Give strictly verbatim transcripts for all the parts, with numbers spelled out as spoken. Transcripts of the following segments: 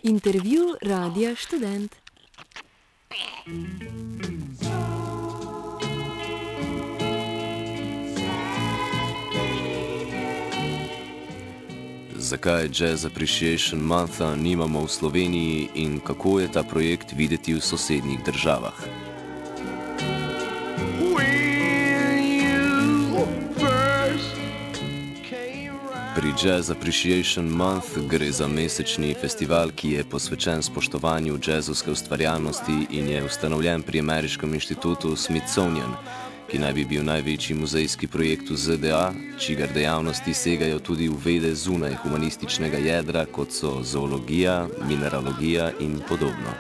Intervju Radia Študent. Zakaj Jazz Appreciation Montha nimamo v Sloveniji in kako je ta projekt videti v sosednjih državah? Pri Jazz Appreciation Month gre za mesečni festival, ki je posvečen spoštovanju jazzovske ustvarjalnosti in je ustanovljen pri ameriškem inštitutu Smithsonian, ki naj bi bil največji muzejski projekt v Z D A, čigar dejavnosti segajo tudi v vede zunaj humanističnega jedra, kot so zoologija, mineralogija in podobno.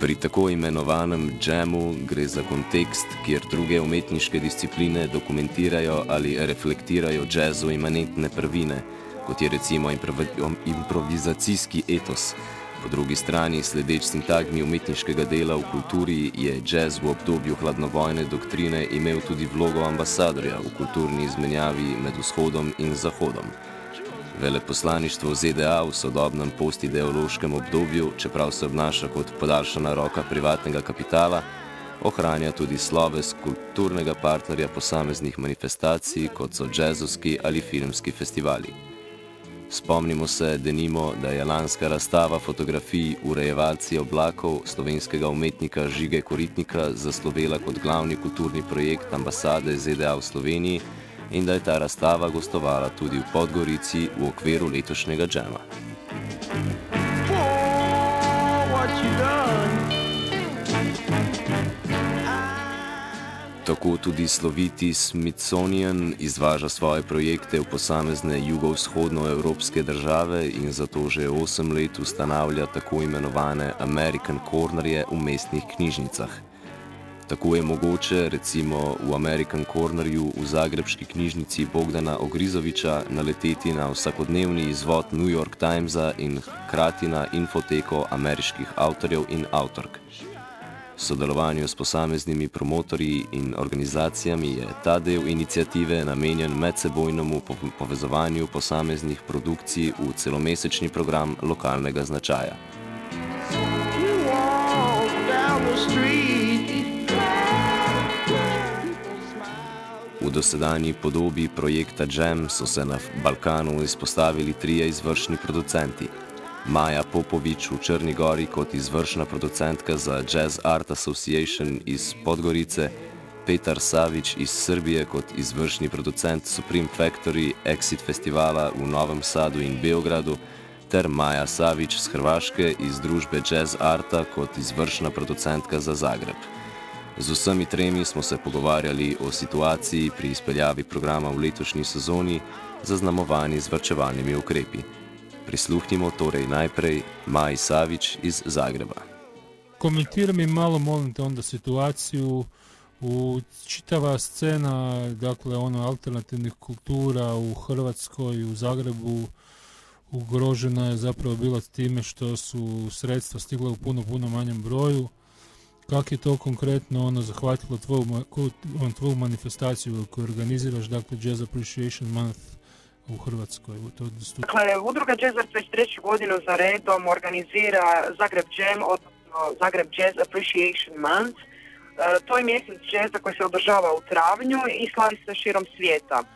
Pri tako imenovanem džemu gre za kontekst, kjer druge umetniške discipline dokumentirajo ali reflektirajo jazzu imanentne prvine, kot je recimo improvizacijski etos. Po drugi strani, sledeč sintagmi umetniškega dela v kulturi, je jazz v obdobju hladnovojne doktrine imel tudi vlogo ambasadorja v kulturni izmenjavi med vzhodom in zahodom. Veleposlaništvo Z D A v sodobnem postideološkem obdobju, čeprav se obnaša kot podaljšana roka privatnega kapitala, ohranja tudi sloves kulturnega partnerja posameznih manifestacij, kot so jazzovski ali filmski festivali. Spomnimo se, denimo, da je lanska razstava fotografij Urejevalci oblakov slovenskega umetnika Žige Koritnika zaslovela kot glavni kulturni projekt ambasade Z D A v Sloveniji in da je ta razstava gostovala tudi v Podgorici v okviru letošnjega džema. Tako tudi sloviti Smithsonian izvaža svoje projekte v posamezne jugovzhodnoevropske države in zato že osem let ustanavlja tako imenovane American Cornerje v mestnih knjižnicah. Tako je mogoče, recimo v American Cornerju v zagrebški knjižnici Bogdana Ogrizoviča naleteti na vsakodnevni izvod New York Timesa in hkrati na infoteko ameriških avtorjev in avtork. V sodelovanju s posameznimi promotorji in organizacijami je ta del iniciative namenjen medsebojnemu povezovanju posameznih produkcij v celomesečni program lokalnega značaja. V dosedanji podobi projekta Jam so se na Balkanu izpostavili trije izvršni producenti. Maja Popovič v Črni Gori kot izvršna producentka za Jazz Art Association iz Podgorice, Petar Savić iz Srbije kot izvršni producent Supreme Factory Exit festivala v Novem Sadu in Beogradu ter Maja Savić z Hrvaške iz družbe Jazz Arta kot izvršna producentka za Zagreb. Z vsemi tremi smo se pogovarjali o situaciji pri izpeljavi programa v letošnji sezoni, zaznamovani z varčevalnimi ukrepi. Prisluhnimo torej najprej Maji Savić iz Zagreba. Komentiraj mi malo, molim te, onda situaciju u čitava scena, dakle, ono, alternativnih kultura u Hrvatskoj, u Zagrebu, ugrožena je zapravo bila time što su sredstva stigla u puno, puno manjem broju. Kako je to konkretno ono zahvatilo tvoju, tvoju manifestaciju koju organiziraš, dakle Jazz Appreciation Month u Hrvatskoj? Dakle, udruga Jazz Art već treću godinu za redom organizira Zagreb Jam, odnosno Zagreb Jazz Appreciation Month. E, to je mjesec jazza koji se održava u travnju i slavi se širom svijeta. E,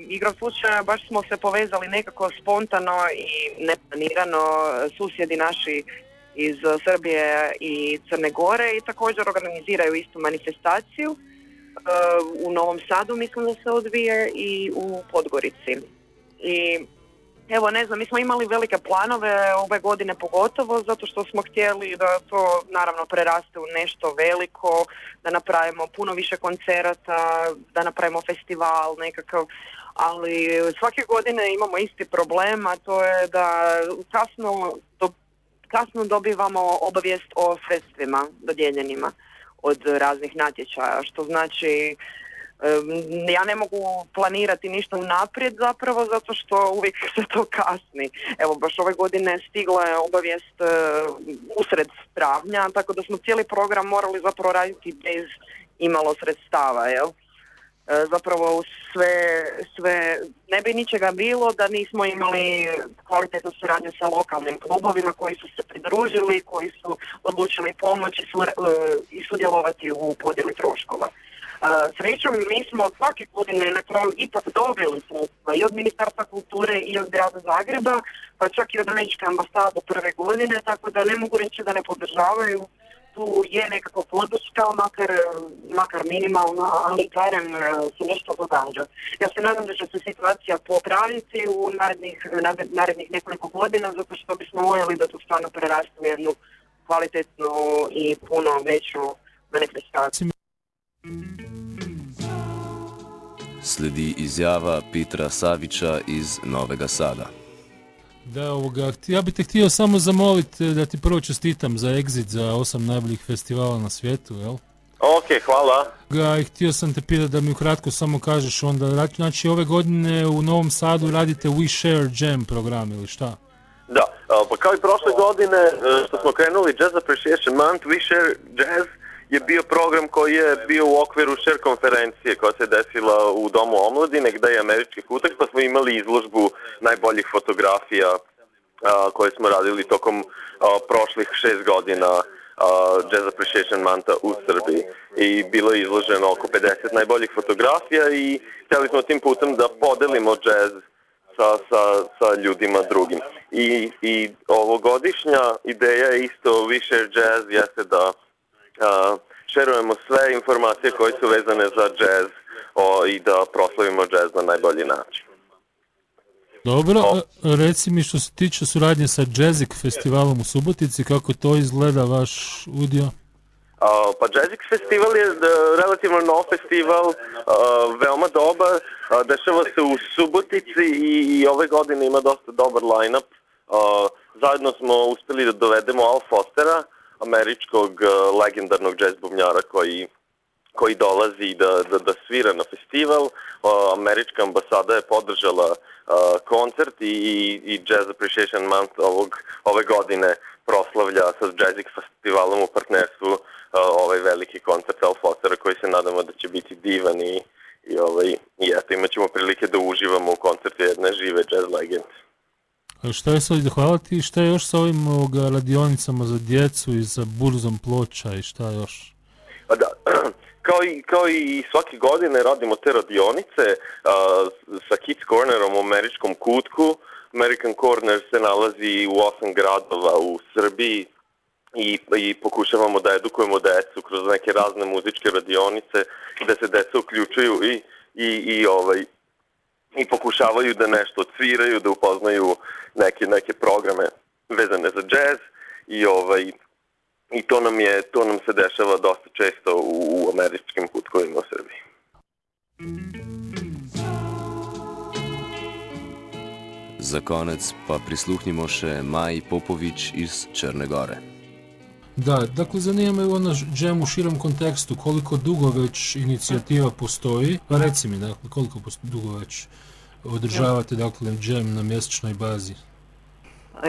igrom slučaja baš smo se povezali nekako spontano i neplanirano, susjedi naši iz Srbije i Crne Gore i također organiziraju istu manifestaciju. Uh, u Novom Sadu mislim da se odvije i u Podgorici. I evo, ne znam, mi smo imali velike planove ove godine pogotovo zato što smo htjeli da to naravno preraste u nešto veliko, da napravimo puno više koncerata, da napravimo festival nekakav, ali svake godine imamo isti problem, a to je da kasno do kasno dobivamo obavijest o sredstvima dodijeljenima od raznih natječaja, što znači Ja ne mogu planirati ništa unaprijed zapravo zato što uvijek se to kasni. Evo baš ove godine stigla je obavijest usred travnja, tako da smo cijeli program morali zapravo raditi bez imalo sredstava, jel? Zapravo sve, sve, ne bi ničega bilo da nismo imali kvalitetnu suradnju sa lokalnim klubovima koji su se pridružili, koji su odlučili pomoći i sudjelovati u podjeli troškova. Srećom, mi smo svake godine na kraju ipak dobili sredstva i od Ministarstva kulture i od grada Zagreba, pa čak i od Američke ambasade prve godine, tako da ne mogu reći da ne podržavaju. Tu je nekako podrška, makar, makar minimalna, ali barem se nešto događa. Ja se nadam da će se situacija popraviti u narednih, narednih nekoliko godina, zato što bismo voljeli da to stvarno preraste u jednu kvalitetnu i puno veću manifestaciju. Sledi izjava Petra Savića iz Novega Sada. Da, ovoga, ja bih te htio samo zamoliti da ti prvo čestitam za Exit, za osam najboljih festivala na svijetu, jel? Ok, hvala. Ga, i htio sam te pitati da mi ukratko samo kažeš onda, znači ove godine u Novom Sadu radite We Share Jam program ili šta? Da, pa kao i prošle godine što smo krenuli Jazz Appreciation Month, We Share Jazz je bio program koji je bio u okviru Share konferencije koja se desila u Domu omladine gdje je američki futak, pa smo imali izložbu najboljih fotografija a, koje smo radili tokom a, prošlih šest godina a, Jazz Appreciation Montha u Srbiji. I bilo je izloženo oko pedeset najboljih fotografija i htjeli smo tim putem da podelimo jazz sa, sa, sa ljudima drugim. I, i ovogodišnja ideja je isto We Share Jazz jeste da Uh, šerujemo sve informacije koje su vezane za jazz o, i da proslavimo jazz na najbolji način. Dobro, o. reci mi što se tiče suradnje sa Jazzik festivalom u Subotici, kako to izgleda vaš udio? Uh, pa Jazzik festival je uh, relativno nov festival, uh, veoma dobar, uh, dešava se u Subotici i, i ove godine ima dosta dobar line-up. Uh, zajedno smo uspjeli da dovedemo Al Fostera, američkog uh, legendarnog jazz bubnjara koji, koji dolazi da, da, da svira na festival. Uh, američka ambasada je podržala uh, koncert i, i Jazz Appreciation Month ovog, ove godine proslavlja sa Jazzik festivalom u partnerstvu uh, ovaj veliki koncert Al Fostera koji se nadamo da će biti divan i, i, ovaj, i eto, imat ćemo prilike da uživamo u koncertu jedne žive jazz legende. Šta je sad, hvala ti, šta je još sa ovim ovoga, radionicama za djecu i za burzom ploča i šta još? Da, kao i, kao i svake godine radimo te radionice uh, sa Kids Cornerom u američkom kutku. American Corner se nalazi u osam gradova u Srbiji i, i pokušavamo da edukujemo decu kroz neke razne muzičke radionice gde se deca uključuju i, i, i ovaj i pokušavaju da nešto odsviraju, da upoznaju neke, neke programe vezane za jazz i, ovaj, i to, nam je, to nam se dešava dosta često u, u američkim kutkovima u Srbiji. Za konec pa prisluhnimo še Maji Popović iz Črne Gore. Da, dakle zanima me ono jam u širom kontekstu, koliko dugo već inicijativa postoji, pa reci mi dakle koliko dugo već održavate dakle jam na mjesečnoj bazi.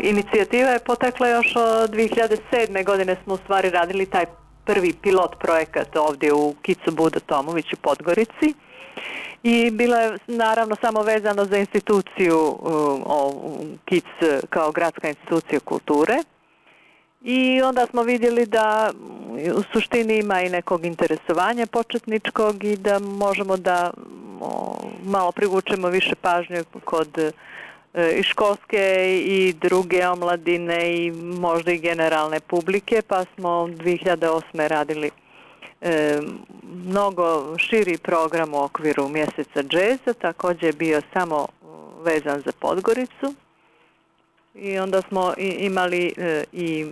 Inicijativa je potekla još od dvije hiljade sedme. godine smo u stvari radili taj prvi pilot projekat ovdje u Kicu Buda Tomović u Podgorici i bila je naravno samo vezano za instituciju o, Kic kao gradska institucija kulture. I onda smo vidjeli da u suštini ima i nekog interesovanja početničkog i da možemo da o, malo privučemo više pažnje kod e, i školske i druge omladine i možda i generalne publike, pa smo dvije hiljade osme. radili e, mnogo širi program u okviru mjeseca džeza, također je bio samo vezan za Podgoricu i onda smo i, imali e, i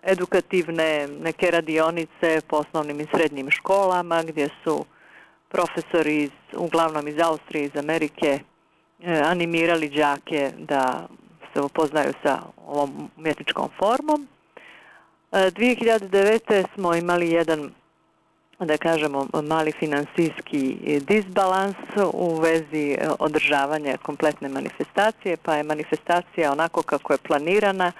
edukativne neke radionice po osnovnim i srednjim školama gdje su profesori iz, uglavnom iz Austrije, iz Amerike e, animirali đake da se upoznaju sa ovom umjetničkom formom. E, dvije hiljade devete. smo imali jedan da kažemo, mali financijski disbalans u vezi održavanja kompletne manifestacije, pa je manifestacija onako kako je planirana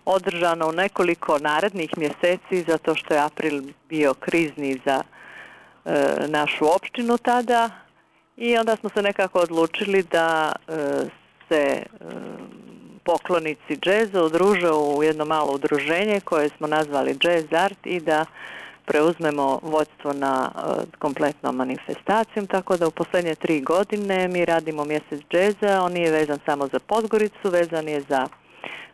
održana u nekoliko narednih mjeseci, zato što je april bio krizni za e, našu opštinu tada, i onda smo se nekako odlučili da e, se e, poklonici džeza udruže u jedno malo udruženje koje smo nazvali Jazz Art i da preuzmemo vodstvo na uh, kompletnom manifestacijom, tako da u posljednje tri godine mi radimo mjesec džeza. On nije vezan samo za Podgoricu, vezan je za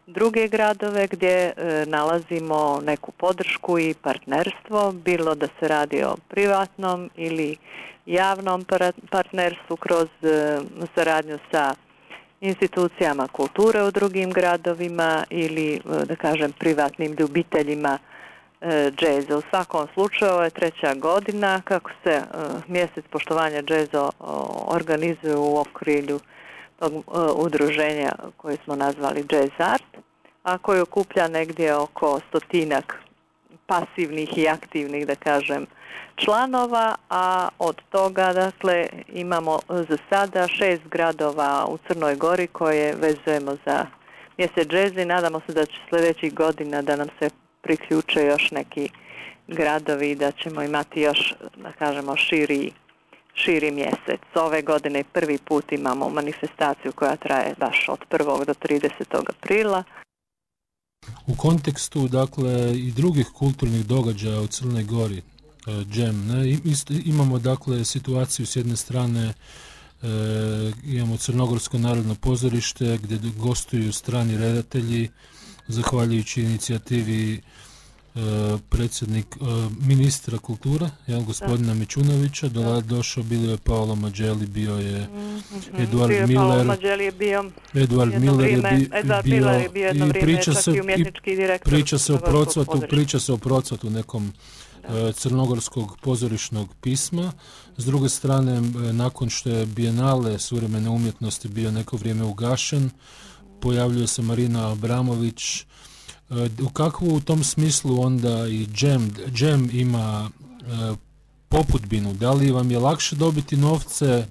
druge gradove gdje uh, nalazimo neku podršku i partnerstvo, bilo da se radi o privatnom ili javnom partnerstvu kroz uh, saradnju sa institucijama kulture u drugim gradovima ili, uh, da kažem, privatnim ljubiteljima džeza. U svakom slučaju ovo je treća godina kako se uh, mjesec poštovanja džeza uh, organizuje u okrilju tog uh, udruženja koje smo nazvali Jazz Art, a koji okuplja negdje oko stotinak pasivnih i aktivnih, da kažem, članova, a od toga, dakle, imamo za sada šest gradova u Crnoj Gori koje vezujemo za mjesec džeza i nadamo se da će sljedećih godina da nam se priključe još neki gradovi, da ćemo imati još, da kažemo, širi, širi mjesec. Ove godine prvi put imamo manifestaciju koja traje baš od prvog do tridesetog aprila. U kontekstu, dakle, i drugih kulturnih događaja u Crnoj Gori, džem, ne, imamo, dakle, situaciju s jedne strane, e, imamo Crnogorsko narodno pozorište gdje gostuju strani redatelji, zahvaljujući inicijativi e, predsjednik e, ministra kulture, jel, gospodina da. Mičunovića, do, došao, bilo je Paolo Mađeli, bio je mm-hmm. Eduard bio Miller, Mađeli je bio Eduard Miller je, bi, Eduard bio, Miller je bio jedno i vrijeme priča čak se, i umjetnički direktor. Priča se o procvatu, priča se o procvatu nekom e, crnogorskog pozorišnog pisma. S druge strane, e, nakon što je Bijenale suvremene umjetnosti bio neko vrijeme ugašen, pojavljuje se Marina Abramović. U kakvu u tom smislu onda i džem, džem ima e, popudbinu? Da li vam je lakše dobiti novce e,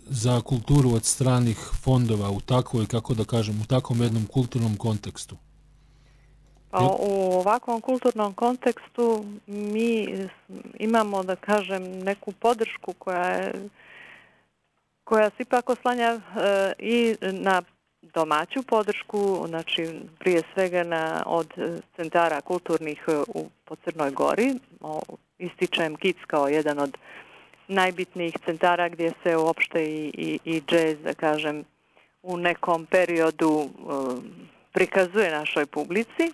za kulturu od stranih fondova u takvoj, kako da kažem, u takvom jednom kulturnom kontekstu? Pa u ovakvom kulturnom kontekstu mi imamo, da kažem, neku podršku koja je, koja se ipak oslanja e, i na domaću podršku, znači prije svega na, od centara kulturnih u, po Crnoj Gori. O, ističem Kic kao jedan od najbitnijih centara gdje se uopšte i, i, i džez, da kažem, u nekom periodu um, prikazuje našoj publici.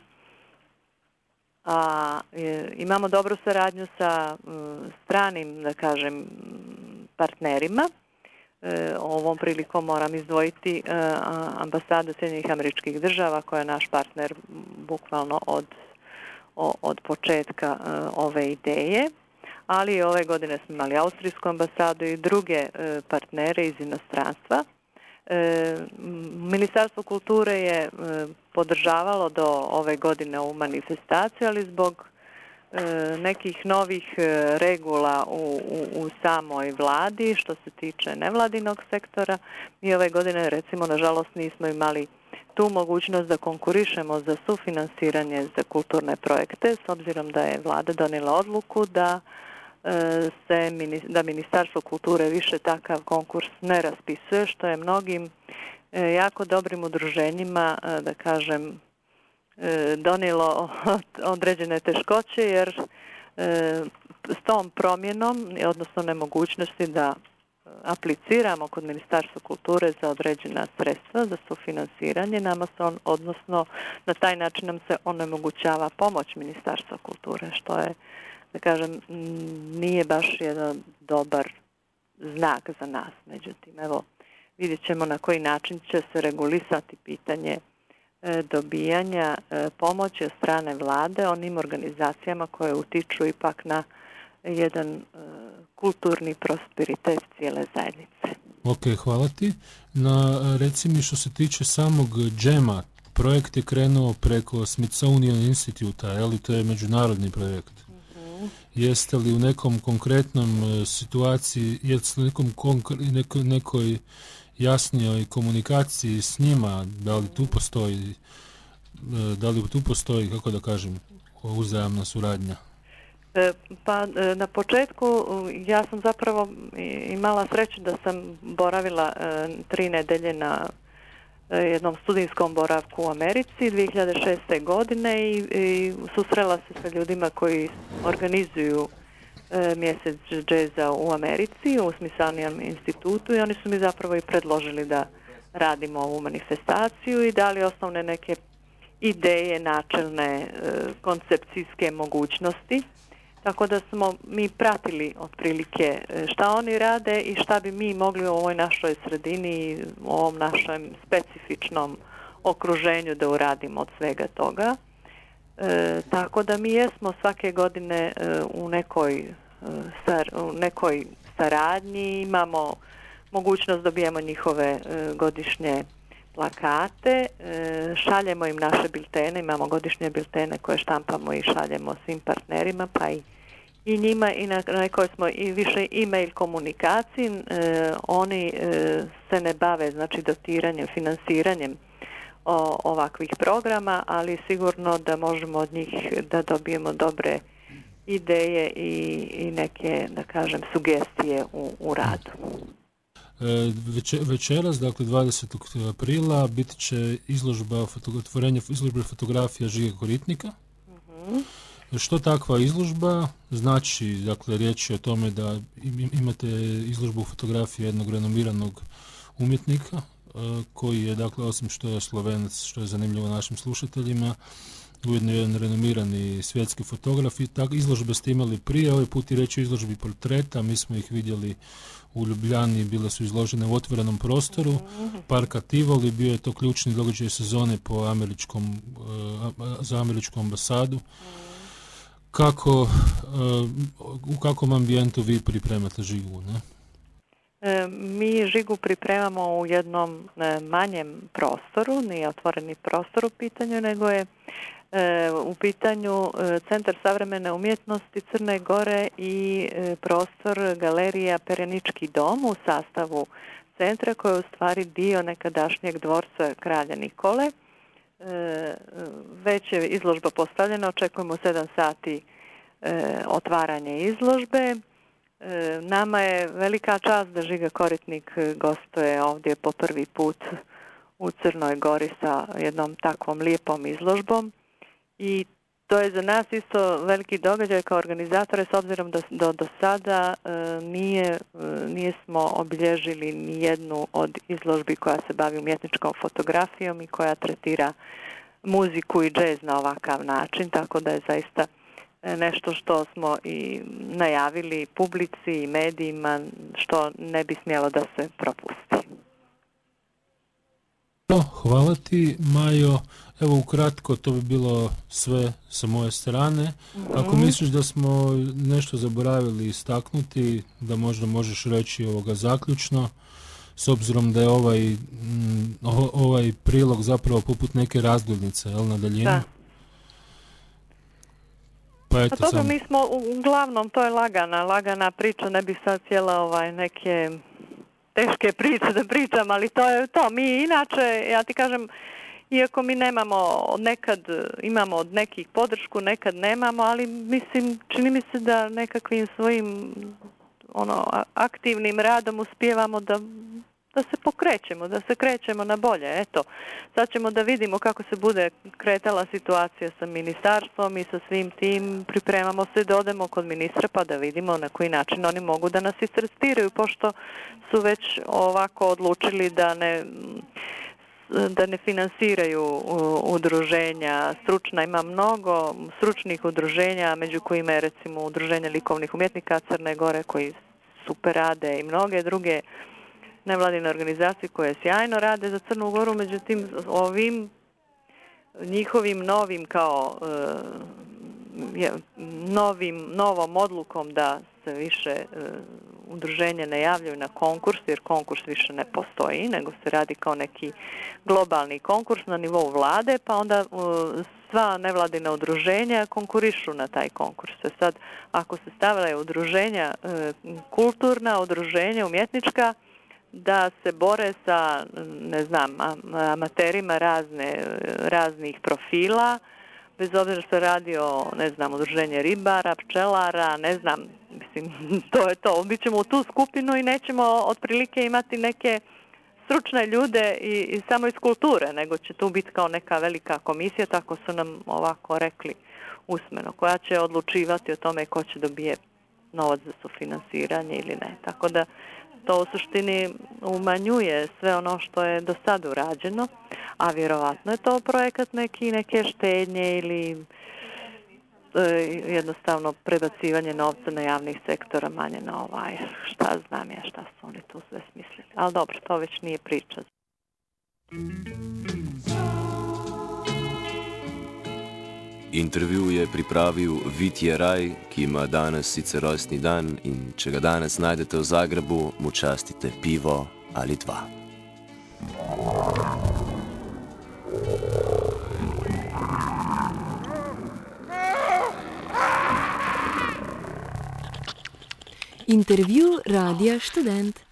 A, e, imamo dobru saradnju sa um, stranim, da kažem, partnerima. Ovom prilikom moram izdvojiti ambasadu Sjedinjenih Američkih Država koja je naš partner bukvalno od, od početka ove ideje, ali ove godine smo imali Austrijsku ambasadu i druge partnere iz inostranstva. Ministarstvo kulture je podržavalo do ove godine ovu manifestaciju, ali zbog nekih novih regula u, u, u samoj vladi što se tiče nevladinog sektora. Mi ove godine, recimo, nažalost nismo imali tu mogućnost da konkurišemo za sufinansiranje za kulturne projekte, s obzirom da je vlada donijela odluku da se da Ministarstvo kulture više takav konkurs ne raspisuje, što je mnogim jako dobrim udruženjima, da kažem, donijelo određene teškoće, jer s tom promjenom, odnosno nemogućnosti da apliciramo kod Ministarstva kulture za određena sredstva za sufinansiranje, nama se on, odnosno na taj način nam se onemogućava pomoć Ministarstva kulture, što je, da kažem, nije baš jedan dobar znak za nas. Međutim, evo, vidjet ćemo na koji način će se regulisati pitanje dobijanja pomoći od strane vlade onim organizacijama koje utiču ipak na jedan kulturni prosperitet cijele zajednice. Ok, hvala ti. Na, reci mi, što se tiče samog džema, projekt je krenuo preko Smithsonian Instituta, je li to je međunarodni projekt? Mm-hmm. Jeste li u nekom konkretnom uh, situaciji, jeste li u nekom konkr- neko, nekoj jasnijoj komunikaciji s njima, da li tu postoji, uh, da li tu postoji, kako da kažem, uzajamna suradnja? Pa na početku ja sam zapravo imala sreću da sam boravila tri nedelje na jednom studijskom boravku u Americi dvije hiljade šeste. godine i, i susrela se sa ljudima koji organizuju e, mjesec džeza u Americi u Smithsonian institutu i oni su mi zapravo i predložili da radimo ovu manifestaciju i dali osnovne neke ideje, načelne e, koncepcijske mogućnosti. Tako da smo mi pratili otprilike šta oni rade i šta bi mi mogli u ovoj našoj sredini, u ovom našem specifičnom okruženju da uradimo od svega toga. E, tako da mi jesmo svake godine e, u, nekoj, e, sar, u nekoj saradnji, imamo mogućnost da dobijemo njihove e, godišnje plakate, e, šaljemo im naše biltene, imamo godišnje biltene koje štampamo i šaljemo svim partnerima, pa i, i njima i na, na kojoj smo i više e-mail komunikaciji. E, oni e, se ne bave znači dotiranjem, finansiranjem o, ovakvih programa, ali sigurno da možemo od njih da dobijemo dobre ideje i, i neke, da kažem, sugestije u, u radu. Veče, večeras, dakle dvadesetog aprila, bit će izložba, otvorenje izložbe fotografija Žige Koritnika. Uh-huh. Što takva izložba znači? Dakle, riječ je o tome da imate izložbu fotografije jednog renomiranog umjetnika, koji je, dakle, osim što je Slovenac, što je zanimljivo našim slušateljima, ujedno jedan renomirani svjetski fotograf. I tak, izložbe ste imali prije, ovaj put i reći o izložbi portreta, mi smo ih vidjeli u Ljubljani, bile su izložene u otvorenom prostoru Parka Tivoli, bio je to ključni događaj sezone po američkom, za američku ambasadu. Kako, u kakvom ambijentu vi pripremate Žigu, ne? Mi Žigu pripremamo u jednom manjem prostoru, nije otvoreni prostor u pitanju, nego je u pitanju Centar savremene umjetnosti Crne Gore i prostor galerija Perenički dom u sastavu centra, koji je u stvari dio nekadašnjeg dvorca kralja Nikole. Već je izložba postavljena, očekujemo sedam sati otvaranje izložbe. Nama je velika čast da Žiga Koritnik gostuje ovdje po prvi put u Crnoj Gori sa jednom takvom lijepom izložbom i to je za nas isto veliki događaj kao organizatore, s obzirom da do, do sada e, nije, e, nismo obilježili ni jednu od izložbi koja se bavi umjetničkom fotografijom i koja tretira muziku i džez na ovakav način, tako da je zaista nešto što smo i najavili publici i medijima, što ne bi smjelo da se propusti. Hvala ti, Majo. Evo ukratko, to bi bilo sve sa moje strane. Mm-hmm. Ako misliš da smo nešto zaboravili istaknuti, da možda možeš reći ovoga zaključno, s obzirom da je ovaj, m, ovaj prilog zapravo poput neke razglednice, jel, na daljinu? Da. Pa eto, pa dobro, sam... mi smo uglavnom, to je lagana, lagana priča, ne bih sad cijela ovaj, neke teške priče da pričam, ali to je to. Mi inače, ja ti kažem, iako mi nemamo, nekad imamo od nekih podršku, nekad nemamo, ali mislim, čini mi se da nekakvim svojim ono, aktivnim radom uspijevamo da, da se pokrećemo, da se krećemo na bolje. Eto, sad ćemo da vidimo kako se bude kretala situacija sa ministarstvom i sa svim tim. Pripremamo se da odemo kod ministra pa da vidimo na koji način oni mogu da nas istestiraju, pošto su već ovako odlučili da ne da ne finansiraju udruženja stručna. Ima mnogo stručnih udruženja, među kojima je recimo udruženje likovnih umjetnika Crne Gore koji super rade i mnoge druge nevladine organizacije koje sjajno rade za Crnu Goru, međutim ovim njihovim novim kao je, novim, novom odlukom da se više e, udruženja ne javljaju na konkurs, jer konkurs više ne postoji, nego se radi kao neki globalni konkurs na nivou vlade, pa onda e, sva nevladina udruženja konkurišu na taj konkurs. Sad, ako se stavljaju udruženja, kulturna udruženja, umjetnička, da se bore sa, ne znam, amaterima razne, raznih profila, bez obzira što se radi o, ne znam, udruženje ribara, pčelara, ne znam, mislim, to je to. Mi ćemo u tu skupinu i nećemo otprilike imati neke stručne ljude i, i samo iz kulture, nego će tu biti kao neka velika komisija, tako su nam ovako rekli usmeno, koja će odlučivati o tome ko će dobije novac za sufinansiranje ili ne. Tako da to u suštini umanjuje sve ono što je do sada urađeno, a vjerovatno je to projekat neki, neke štednje ili e, jednostavno prebacivanje novca na javnih sektora, manje na ovaj, šta znam ja šta su oni tu sve smislili. Ali dobro, to već nije priča. Intervju je pripravil Vitje Raj, ki ima danes sicer rojstni dan in če ga danes najdete v Zagrebu, mu častite pivo ali dva. Intervju Radia Študent.